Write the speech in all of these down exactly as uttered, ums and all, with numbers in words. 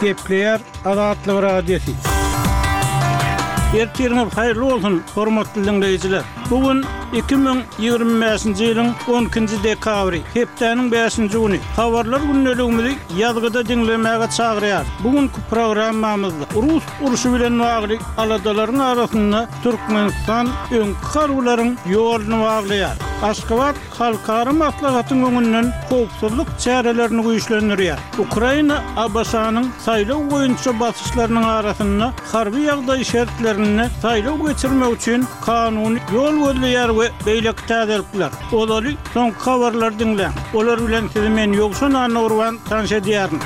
Gepleýär Azatlyk Radiosy. Ertiriňiz haýyrly bolsun, hormatly diňleýjiler. Bu gün iki müň ýigrimi bäşinji ýylyň on ikinji dekabry, hepdäniň bäşinji güni. Habarlar gündeligimizi ýazgyda diňlemäge çagyrýar. Bu günki programmamyzda rus urşy bilen bagly aladalaryň arasynda Türkmenistan öňki harbylaryň ýoluny baglaýar. Aşgabat halkara maslahatyň öňünden howpsuzlyk çärelerini güýçlendirýär. Ukraina ABŞ-nyň saýlaw boýunça basyşlarynyň arasynda harby ýagdaý şertlerinde saýlaw geçirmek üçin kanuny ýol gözleýär we beýleki täzelikler. Ozaly soňky habarlary diňläň. Olar bilen sizi men Ýowşan Annagurban tanyş edýärin.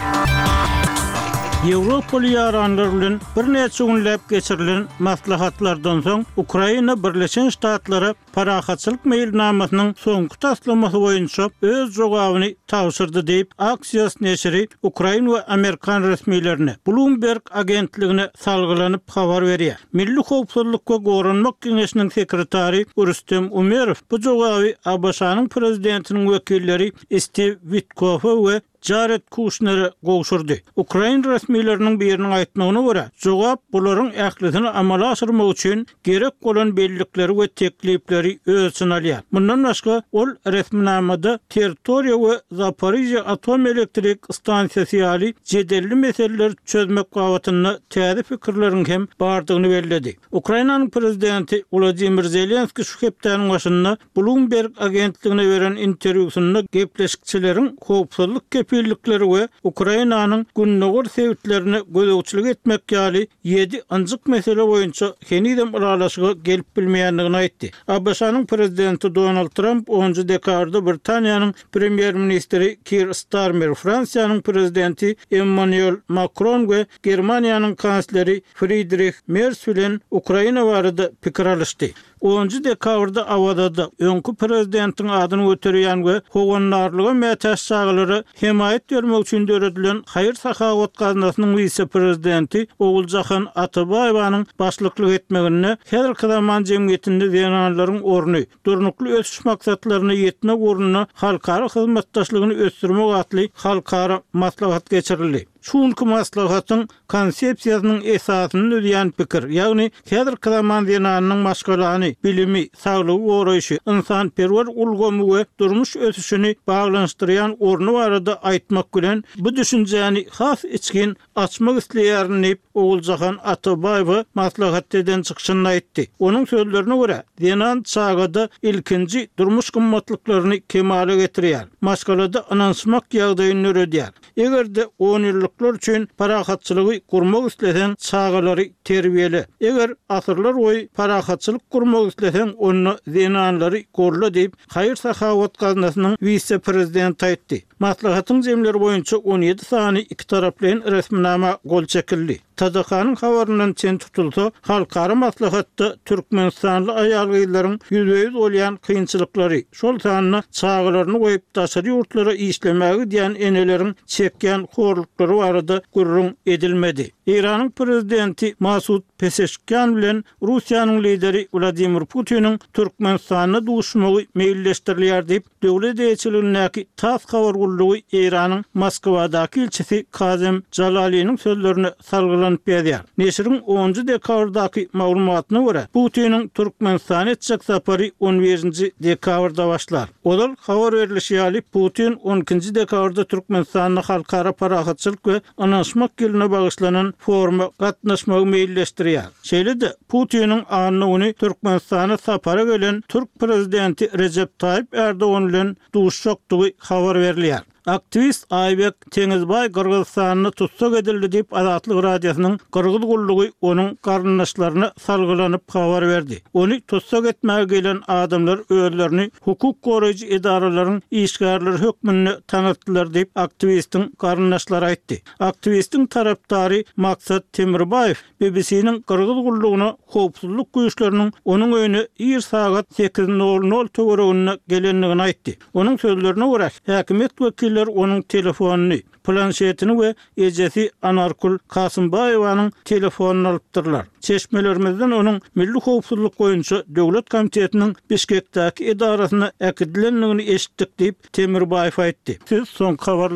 Ýewropaly ýaranlar bilen birnäçe günläp geçirilen maslahatlardan soň Ukraina Birleşen Ştatlara parahatçylyk meýilnamasynyň soňky taslamasy boýunça öz jogabyny tabşyrdy diýip, Axios neşiri ukrain we amerikan resmilerine, Bloomberg agentligine salgylanyp habar berýär. Milli howpsuzlyk we goranmak geňeşiniň sekretary Rüstem Umerow bu jogaby ABŞ-nyň prezidentiniň wekilleri Stiw Witkofa we Jared Kuşnere gowşurdy. Ukrain resmileriniň biriniň aýtmagyna görä, jogap bularyň ählisini amala aşyrmak üçin gerek bolan bellikleri we teklipleri öz içine alýar. Mundan başga, ol resminamada territoriýa we Zaporižýa atom elektrik stansiýasy ýaly jedelli meseleleri çözmek babatynda täze pikirleriň hem bardygyny belledi. Ukrainanyň prezidenti Wladimir Zelenskiý şu hepdäniň başynda Bloomberg agentligine beren interwýusynda gepleşikçileriň howpsuzlyk kepillikleri we Ukrainanyň gündogar sebitlerine gözegçilik etmek ýaly ýedi ynjyk mesele boýunça henizem ylalaşyga gelip bilmeýändigini aýtdy. ABŞ-nyň prezidenti Donald Tramp onunjy dekabrda Britaniýanyň premýer-ministri Kir Starmer, Fransiýanyň prezidenti Emmanuel Makron we Germaniýanyň kansleri Fridrih Mers bilen Ukraina barada pikir alyşdy. Onunjy dekabrda Awazada öňki prezidentiň adyny göterýän we howandarlyga mätäç çagalara hemaýat bermek üçin döredilen haýyr-sahawat gaznasynyň wise-prezidenti Oguljahan Atabaýewanyň başlyklyk etmeginde häzirki zaman jemgyýetinde zenanlaryň orny, durnukly ösüş maksatlaryna ýetmek ugrunda halkara hyzmatdaşlygyny ösdürmek atly halkara maslahat geçirildi. Şu günki maslahatyň konsepsiýasynyň esasyny düzýän pikir, ýagny häzirki zaman zenanynyň maşgalany, bilimi, saglygy goraýşy, ynsanperwer ulgamy we durmuş ösüşini baglanyşdyrýan orny barada aýtmak bilen bu düşünjäni has içgin açmak isleýärin diýip, Oguljahan Atabaýewa maslahatda eden çykyşynda aýtdy. Onuň sözlerine görä, zenan çagada ilkinji durmuş gymmatlyklaryny kemala getirýär, maşgalada ynanyşmak ýagdaýyny döredýär. Eger-de onýyllyklar üçin parahatçylygy gurmak isleseň, çagalary terbiýele. Eger asyrlar boýy parahatçylyk gurmak isleseň, onda zenanlary golla diýip, haýyr-sahawat gaznasynyň wise-prezidenti aýtdy. Maslahatyň jemleri boýunça on ýedi sany ikitaraplaýyn resminama gol çekildi. T D K-nyň habaryndan çen tutulsa, halkara maslahatda türkmenistanly aýal-gyzlaryň ýüzbe-ýüz bolýan kynçylyklary, şol sanda çagalaryny goýup daşary ýurtlara işlemäge gidýän eneleriň çekýän horluklary barada gürrüň edilmedi. Eýranyň prezidenti Masud Peseşkian bilen Russiýanyň lideri Wladimir Putiniň Türkmenistanda duşmagy meýilleşdirilýär diýip, döwlet eýeçiligindäki TASS habar gullugy Eýranyň Moskwadaky ilçisi Kazem Jalaliniň sözlerine salgylanyp ýazýar. Neşiriň onunjy dekabrdaky maglumatyna görä, Putiniň Türkmenistana etjek sapary on birinji dekabrda başlar. Ozal habar berlişi ýaly, Putin on ikinji dekabrda Türkmenistanda halkara parahatçylyk we ynanyşmak ýylyna bagyşlanan foruma gatnaşmagy meýilleşdirýär. Şeýle-de Putiniň anna güni Türkmenistana sapara gelen türk prezidenti Rejep Taýyp Erdogan bilen duşjakdygy habar berilýär. Aktiwist Aýbek Teňizbaý Gyrgyzystanda tussag edildi diýip, Azatlyk Radiosynyň Gyrgyz gullugy onuň garyndaşlaryna salgylanyp habar berdi. Ony tussag etmäge gelen adamlar özlerini hukuk goraýjy edaralaryň işgärleri hökmünde tanatdylar diýip, aktiwistiň garyndaşlary aýtdy. Aktiwistiň tarapdary Maksat Temirbaýew B B C-niň Gyrgyz gullugyna howpsuzlyk güýçleriniň onuň öýüne ir sagat sekiz nol nol töwereginde gelendigini aýtdy. Onuň sözlerine görä, häkimiýet wekilleri onuň telefonyny, planşetini we ejesi Anarkul Kasymbaýewanyň telefonyny alypdyrlar. Çeşmelerimizden onuň Milli howpsuzlyk boýunça döwlet komitetiniň Bişkekdäki edarasyna äkidilendigini eşitdik diýip, Temirbaýew aýtdy. Siz soňky habarlar